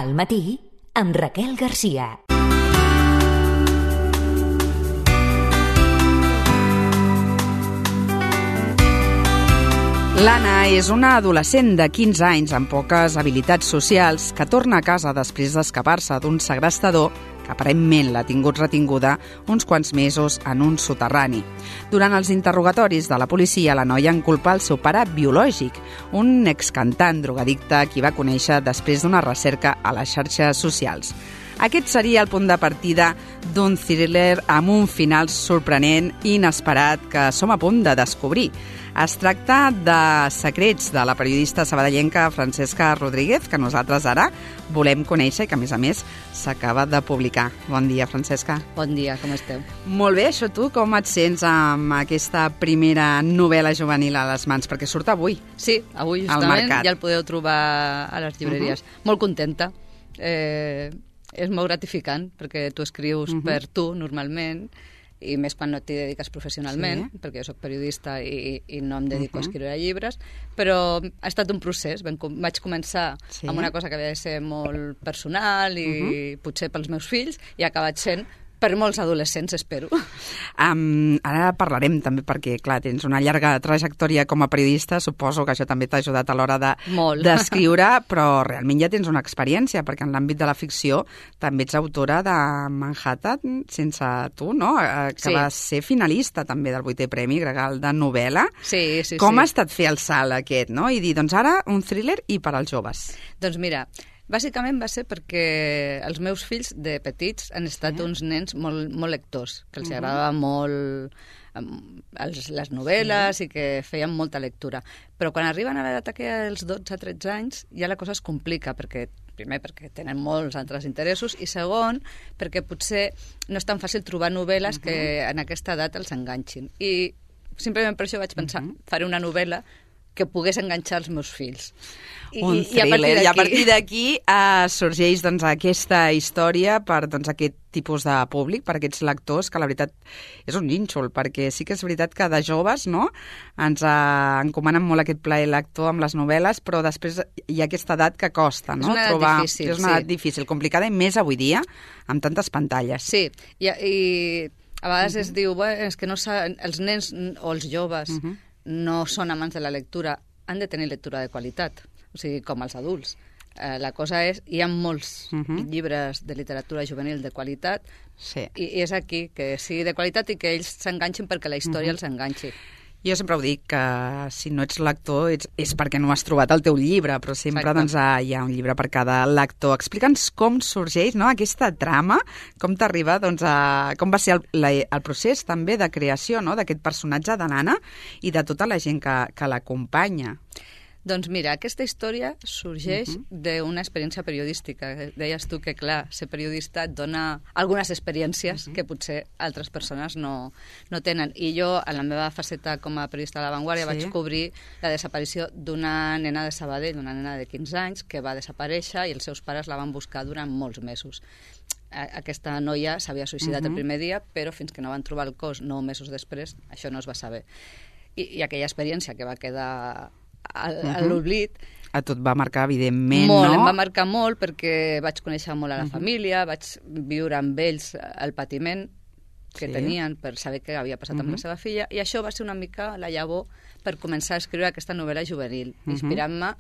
Al matí, amb Raquel Garcia. L'Anna és una adolescent de 15 anys amb poques habilitats socials que torna a casa després d'escapar-se d'un segrestador que aparentment l'ha tingut retinguda uns quants mesos en un soterrani. Durant els interrogatoris de la policia, la noia en culpa el seu pare biològic, un excantant drogadicte qui va conèixer després d'una recerca a les xarxes socials. Aquest seria el punt de partida d'un thriller amb un final sorprenent i inesperat que som a punt de descobrir. Es tracta de Secrets, de la periodista sabadellenca Francesca Rodríguez, que nosaltres ara volem conèixer i que, a més, s'acaba de publicar. Bon dia, Francesca. Bon dia, com esteu? Molt bé, això tu, com et sents amb aquesta primera novel·la juvenil a les mans? Perquè surt avui. Sí, avui justament ja el podeu trobar a les llibreries. Molt contenta. És molt gratificant, perquè tu escrius per tu, normalment, i més quan no t'hi dediques professionalment, perquè jo soc periodista i no em dedico a escriure llibres, però ha estat un procés. Vaig començar amb una cosa que havia de ser molt personal i potser pels meus fills, i ha acabat sent per molts adolescents, espero. Ara parlarem també perquè, clar, tens una llarga trajectòria com a periodista, suposo que això també t'ha ajudat a l'hora d'escriure, però realment ja tens una experiència, perquè en l'àmbit de la ficció també ets autora de Manhattan sense tu, no? Que va ser finalista també del 8è Premi Gregal de novel·la. Sí. Com ha estat fer el salt aquest, no? I dir, doncs ara un thriller i per als joves. Doncs mira, bàsicament va ser perquè els meus fills de petits han estat uns nens molt lectors, que els agradava molt les novel·les i que feien molta lectura. Però quan arriben a l'edat aquella dels 12-13 anys ja la cosa es complica, primer perquè tenen molts altres interessos i segon perquè potser no és tan fàcil trobar novel·les que en aquesta edat els enganxin. I simplement per això vaig pensar, faré una novel·la que pogués enganxar els meus fills. Un thriller. I a partir d'aquí sorgeix aquesta història per aquest tipus de públic, per aquests lectors, que la veritat és un nínxol, perquè sí que és veritat que de joves ens encomanen molt aquest plaer lector amb les novel·les, però després hi ha aquesta edat que costa, no? És una edat difícil. És una edat difícil, complicada, i més avui dia, amb tantes pantalles. Sí, i a vegades es diu, és que no els nens o els joves no són amants de la lectura, han de tenir lectura de qualitat, o sigui, com els adults. La cosa és, hi ha molts llibres de literatura juvenil de qualitat, i és aquí, que sigui de qualitat i que ells s'enganxin perquè la història els enganxi. Jo sempre ho dic, que si no ets lector és perquè no has trobat el teu llibre, però sempre hi ha un llibre per cada lector. Explica'ns com sorgeix aquesta trama, com t'arriba, com va ser el procés també de creació d'aquest personatge de l'Anna i de tota la gent que l'acompanya. Doncs mira, aquesta història sorgeix d'una experiència periodística. Deies tu que, clar, ser periodista et dona algunes experiències que potser altres persones no tenen. I jo, en la meva faceta com a periodista de La Vanguardia, vaig cobrir la desaparició d'una nena de Sabadell, una nena de 15 anys, que va desaparèixer i els seus pares la van buscar durant molts mesos. Aquesta noia s'havia suïcidat el primer dia, però fins que no van trobar el cos 9 mesos després, això no es va saber. I aquella experiència que va quedar a l'oblit. A tu et va marcar, evidentment, molt, no? Em va marcar molt perquè vaig conèixer molt a la família, vaig viure amb ells el patiment que tenien per saber què havia passat amb la seva filla, i això va ser una mica la llavor per començar a escriure aquesta novel·la juvenil, inspirant-me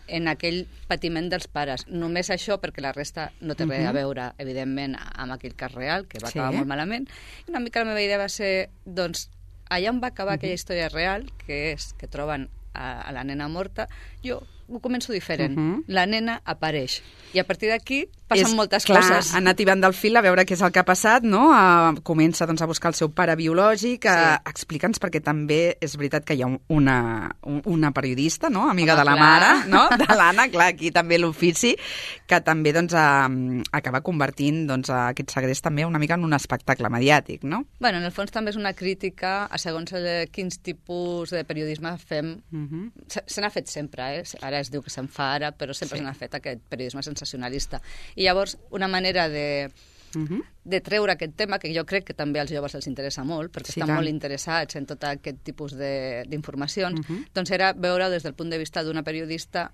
en aquell patiment dels pares. Només això, perquè la resta no té res a veure, evidentment, amb aquell cas real, que va acabar molt malament. I una mica la meva idea va ser, doncs, allà on va acabar aquella història real, que és que troben a la nena morta, jo ho començo diferent. La nena apareix. I a partir d'aquí passen moltes coses. Ha anat tibant del fil a veure què és el que ha passat, no? Comença a buscar el seu pare biològic. Explica'ns, perquè també és veritat que hi ha una periodista, no? Amiga de la mare, no? De l'Anna, clar, aquí també l'ofici, que també acaba convertint aquest segrest també una mica en un espectacle mediàtic, no? Bueno, en el fons també és una crítica a segons quins tipus de periodisme fem. Se n'ha fet sempre, Ara es diu que se'n fa ara, però sempre se n'ha fet aquest periodisme sensacionalista. I llavors, una manera de treure aquest tema, que jo crec que també als joves els interessa molt, perquè estan molt interessats en tot aquest tipus d'informacions, doncs era veure des del punt de vista d'una periodista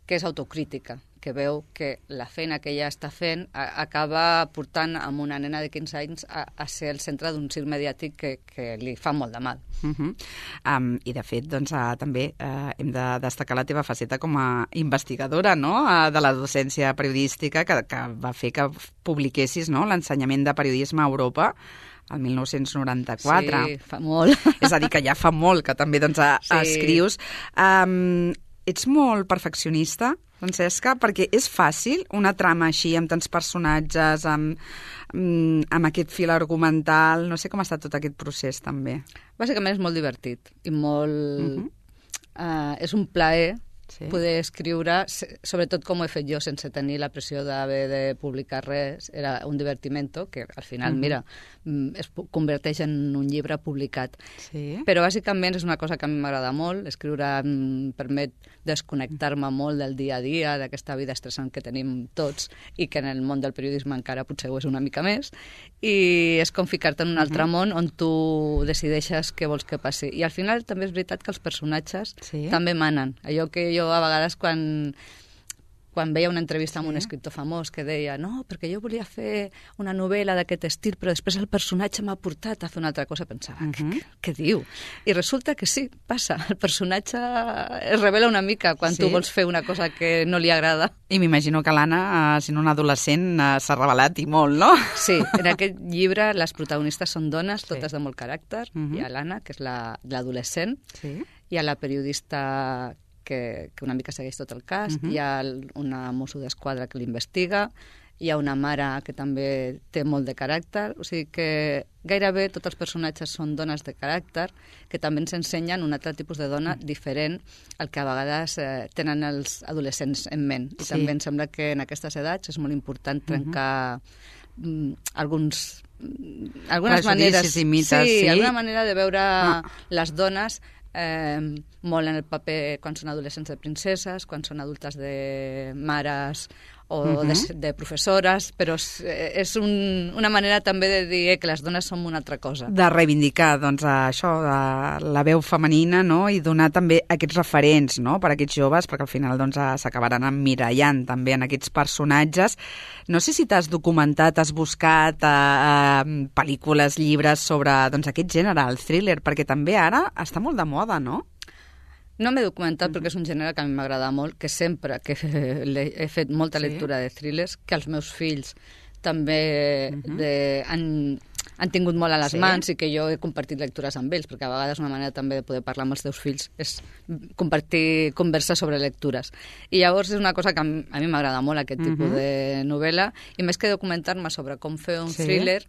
que és autocrítica, que veu que la feina que ella està fent acaba portant amb una nena de 15 anys a ser el centre d'un circ mediàtic que li fa molt de mal. I de fet, doncs, també hem de destacar la teva faceta com a investigadora, no?, de la docència periodística que va fer que publiquessis, no?, l'ensenyament de periodisme a Europa el 1994. Sí, fa molt. És a dir, que ja fa molt que també doncs, escrius. Ets molt perfeccionista, Francesca, perquè és fàcil una trama així, amb tants personatges, amb aquest fil argumental. No sé com ha estat tot aquest procés, també. Bàsicament és molt divertit i molt... és un plaer poder escriure, sobretot com ho he fet jo, sense tenir la pressió d'haver de publicar res. Era un divertimento que al final, mira, es converteix en un llibre publicat. Sí. Però bàsicament és una cosa que a mi m'agrada molt. Escriure em permet desconnectar-me molt del dia a dia, d'aquesta vida estressant que tenim tots i que en el món del periodisme encara potser ho és una mica més. I és com ficar-te en un altre món on tu decideixes què vols que passi. I al final també és veritat que els personatges també manen. Allò que jo a vegades quan veia una entrevista amb un escriptor famós que deia no, perquè jo volia fer una novel·la d'aquest estil, però després el personatge m'ha portat a fer una altra cosa, pensava, què diu? I resulta que sí, passa. El personatge es revela una mica quan tu vols fer una cosa que no li agrada. I m'imagino que l'Anna, sent una adolescent, s'ha revelat i molt, no? Sí, en aquest llibre les protagonistes són dones, totes de molt caràcter. Hi ha l'Anna, que és l'adolescent, hi ha la periodista que una mica segueix tot el cas, hi ha una mosso d'esquadra que l'investiga, hi ha una mare que també té molt de caràcter, o sigui que gairebé tots els personatges són dones de caràcter que també ens ensenyen un altre tipus de dona diferent al que a vegades tenen els adolescents en ment. I també em sembla que en aquestes edats és molt important trencar algunes maneres, alguna manera de veure les dones molt en el paper quan són adolescents de princeses, quan són adultes de mares o de professores, però és una manera també de dir que les dones som una altra cosa. De reivindicar, doncs, això, la veu femenina, no?, i donar també aquests referents, no?, per a aquests joves, perquè al final doncs, s'acabaran emmirallant també en aquests personatges. No sé si t'has documentat, has buscat pel·lícules, llibres sobre doncs, aquest gènere, el thriller, perquè també ara està molt de moda, no? No m'he documentat perquè és un gènere que a mi m'agrada molt, que sempre que he fet molta lectura de thrillers, que els meus fills també han tingut molt a les mans i que jo he compartit lectures amb ells, perquè a vegades una manera també de poder parlar amb els teus fills és compartir converses sobre lectures. I llavors és una cosa que a mi m'agrada molt, aquest tipus de novel·la, i més que documentar-me sobre com fer un thriller,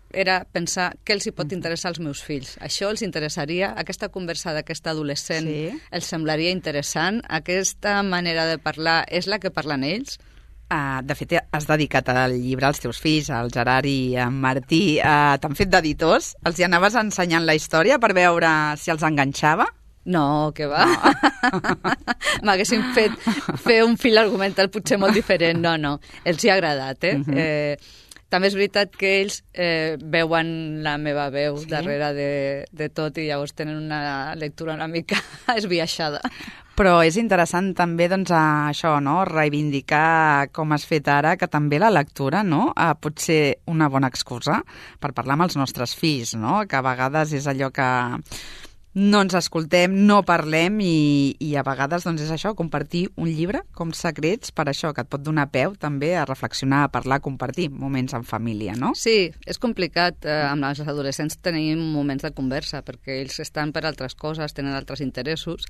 era pensar què els hi pot interessar als meus fills. Això els interessaria, aquesta conversa d'aquesta adolescent els semblaria interessant, aquesta manera de parlar és la que parlen ells? De fet, has dedicat el llibre als teus fills, al Gerard i a Martí. T'han fet d'editors? Els hi anaves ensenyant la història per veure si els enganxava? No, que va. M'haguessin fet fer un fil argumental potser molt diferent. No. Els hi ha agradat, També és veritat que ells veuen la meva veu darrere de tot i llavors tenen una lectura una mica esbiaixada. Però és interessant també doncs, això, no?, reivindicar com has fet ara, que també la lectura, no?, pot ser una bona excusa per parlar amb els nostres fills, no?, que a vegades és allò que no ens escoltem, no parlem i a vegades doncs, és això, compartir un llibre com secrets per això, que et pot donar peu també a reflexionar, a parlar, a compartir moments en família, no? Sí, és complicat. Amb els adolescents tenim moments de conversa perquè ells estan per altres coses, tenen altres interessos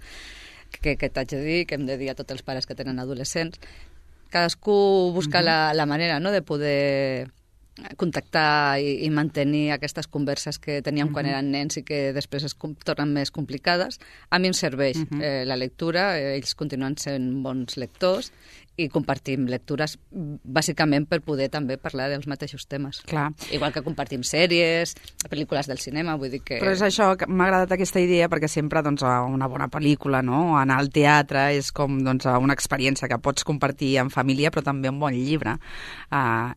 que t'haig de dir, que hem de dir a tots els pares que tenen adolescents. Cadascú busca la manera, no?, de poder contactar i mantenir aquestes converses que teníem quan eren nens i que després es tornen més complicades. A mi em serveix la lectura, ells continuen sent bons lectors i compartim lectures bàsicament per poder també parlar dels mateixos temes. Clar. Igual que compartim sèries, pel·lícules del cinema, vull dir que... Però és això, que m'ha agradat aquesta idea perquè sempre doncs, una bona pel·lícula, no?, anar al teatre és com doncs, una experiència que pots compartir en família, però també un bon llibre.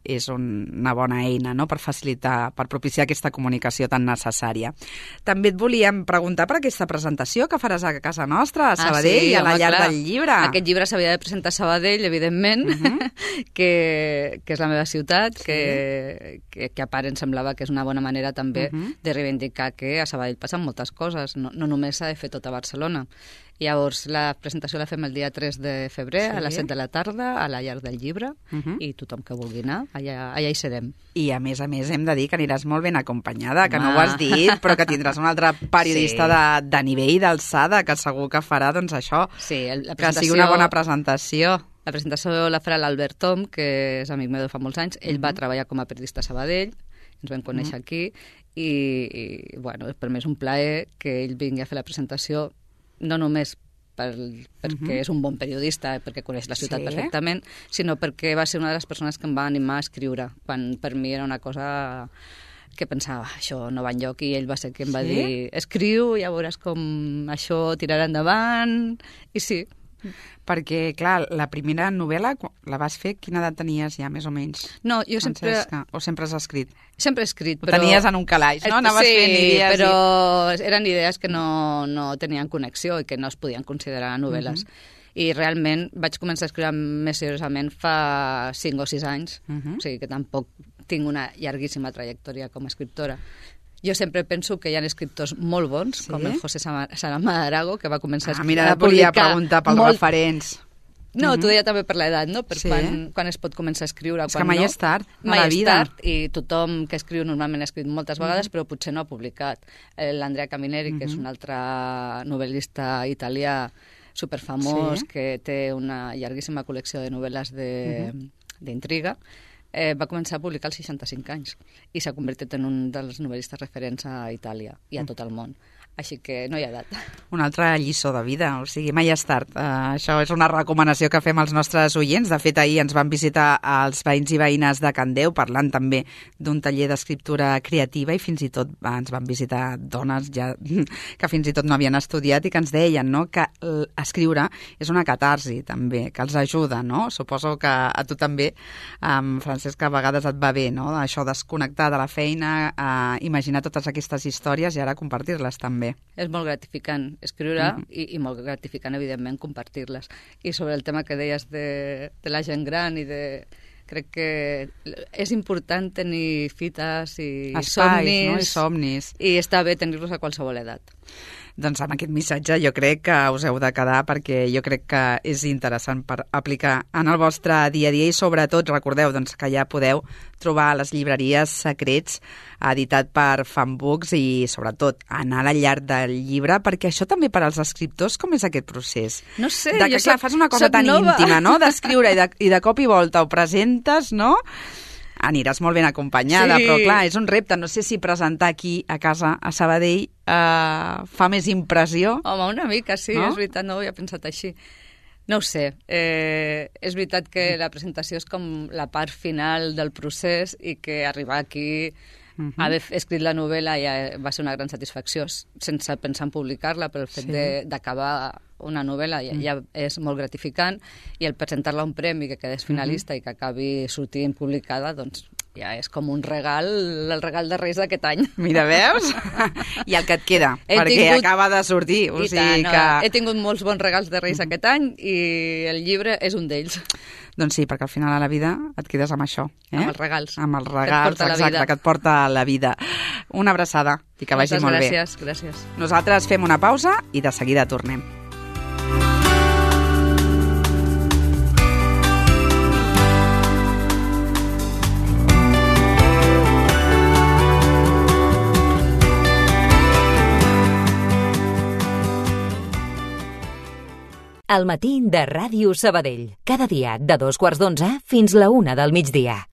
És una bona eina, no?, per facilitar, per propiciar aquesta comunicació tan necessària. També et volíem preguntar per aquesta presentació que faràs a casa nostra, a Sabadell, i a la Llar del Llibre. Aquest llibre s'havia de presentar a Sabadell, evidentment, que és la meva ciutat, que a part em semblava que és una bona manera també de reivindicar que a Sabadell passen moltes coses, no només s'ha de fer tot a Barcelona. Llavors, la presentació la fem el dia 3 de febrer, a les 7 de la tarda, a la Llar del Llibre, i tothom que vulgui anar, allà hi serem. I a més, hem de dir que aniràs molt ben acompanyada, que no ho has dit, però que tindràs un altre periodista de nivell, d'alçada, que segur que farà, doncs això, que sigui una bona presentació. La presentació la farà l'Albert Tom, que és amic meu de fa molts anys. Ell va treballar com a periodista a Sabadell, ens vam conèixer aquí, i bueno, per mi és un plaer que ell vingui a fer la presentació, no només perquè és un bon periodista, perquè coneix la ciutat perfectament, sinó perquè va ser una de les persones que em va animar a escriure, quan per mi era una cosa que pensava, això no va enlloc, i ell va ser qui em va dir, escriu, ja veuràs com això tirarà endavant, i sí. Perquè, clar, la primera novel·la, la vas fer, quina edat tenies ja, més o menys? No, jo sempre... O sempre has escrit? Sempre he escrit, però... Ho tenies en un calaix, no? Anaves fent idees. Sí, però eren idees que no tenien connexió i que no es podien considerar novel·les. I realment vaig començar a escriure més seriosament fa 5 o 6 anys, o sigui que tampoc tinc una llarguíssima trajectòria com a escriptora. Jo sempre penso que hi ha escriptors molt bons, com el José Saramago d'Arago, que va començar a publicar... Mira, et volia preguntar pels referents. No, tu deia també per l'edat, no? Per quan es pot començar a escriure, és que mai és tard, a la vida. Mai és tard, i tothom que escriu normalment ha escrit moltes vegades, però potser no ha publicat. L'Andrea Camineri, que és un altre novel·lista italià superfamós, que té una llarguíssima col·lecció de novel·les d'intriga, va començar a publicar als 65 anys i s'ha convertit en un dels novel·listes referents a Itàlia i a tot el món. Així que no hi ha edat. Una altra lliçó de vida, o sigui, mai és tard. Això és una recomanació que fem als nostres oients. De fet, ahir ens van visitar els veïns i veïnes de Can Déu, parlant també d'un taller d'escriptura creativa, i fins i tot ens van visitar dones ja que fins i tot no havien estudiat i que ens deien, no?, que escriure és una catarsi, també, que els ajuda, no? Suposo que a tu també, Francesc, a vegades et va bé, no?, això desconnectar de la feina, imaginar totes aquestes històries i ara compartir-les també. És molt gratificant escriure i molt gratificant, evidentment, compartir-les. I sobre el tema que deies de la gent gran i de... Crec que és important tenir fites i espais, no? I somnis. I està bé tenir-los a qualsevol edat. Doncs amb aquest missatge jo crec que us heu de quedar, perquè jo crec que és interessant per aplicar en el vostre dia a dia, i sobretot recordeu doncs, que ja podeu trobar a les llibreries Secrets, editat per Fanbooks, i sobretot anar a la Llar del Llibre, perquè això també per als escriptors, com és aquest procés? No sé, que, clar, fas una cosa tan íntima, no?, d'escriure i de cop i volta ho presentes, no?, aniràs molt ben acompanyada, però clar, és un repte. No sé si presentar aquí a casa, a Sabadell, fa més impressió. Home, una mica, sí, no? És veritat, no ho havia pensat així. No ho sé, és veritat que la presentació és com la part final del procés i que arribar aquí, haver escrit la novel·la ja va ser una gran satisfacció, sense pensar en publicar-la, però el fet d'acabar una novel·la ja és molt gratificant, i el presentar-la a un premi, que quedés finalista i que acabi sortint publicada, doncs ja és com un regal, el regal de Reis d'aquest any. Mira, veus? I el que et queda, perquè acaba de sortir. O sigui que... He tingut molts bons regals de Reis aquest any i el llibre és un d'ells. Doncs sí, perquè al final de la vida et quedes amb això. Amb els regals. Amb els regals, exacte, que et porta la vida. Una abraçada i que vagi molt bé. Moltes gràcies. Nosaltres fem una pausa i de seguida tornem. Al matí de Ràdio Sabadell. Cada dia de 2:15 fins la 1 del migdia.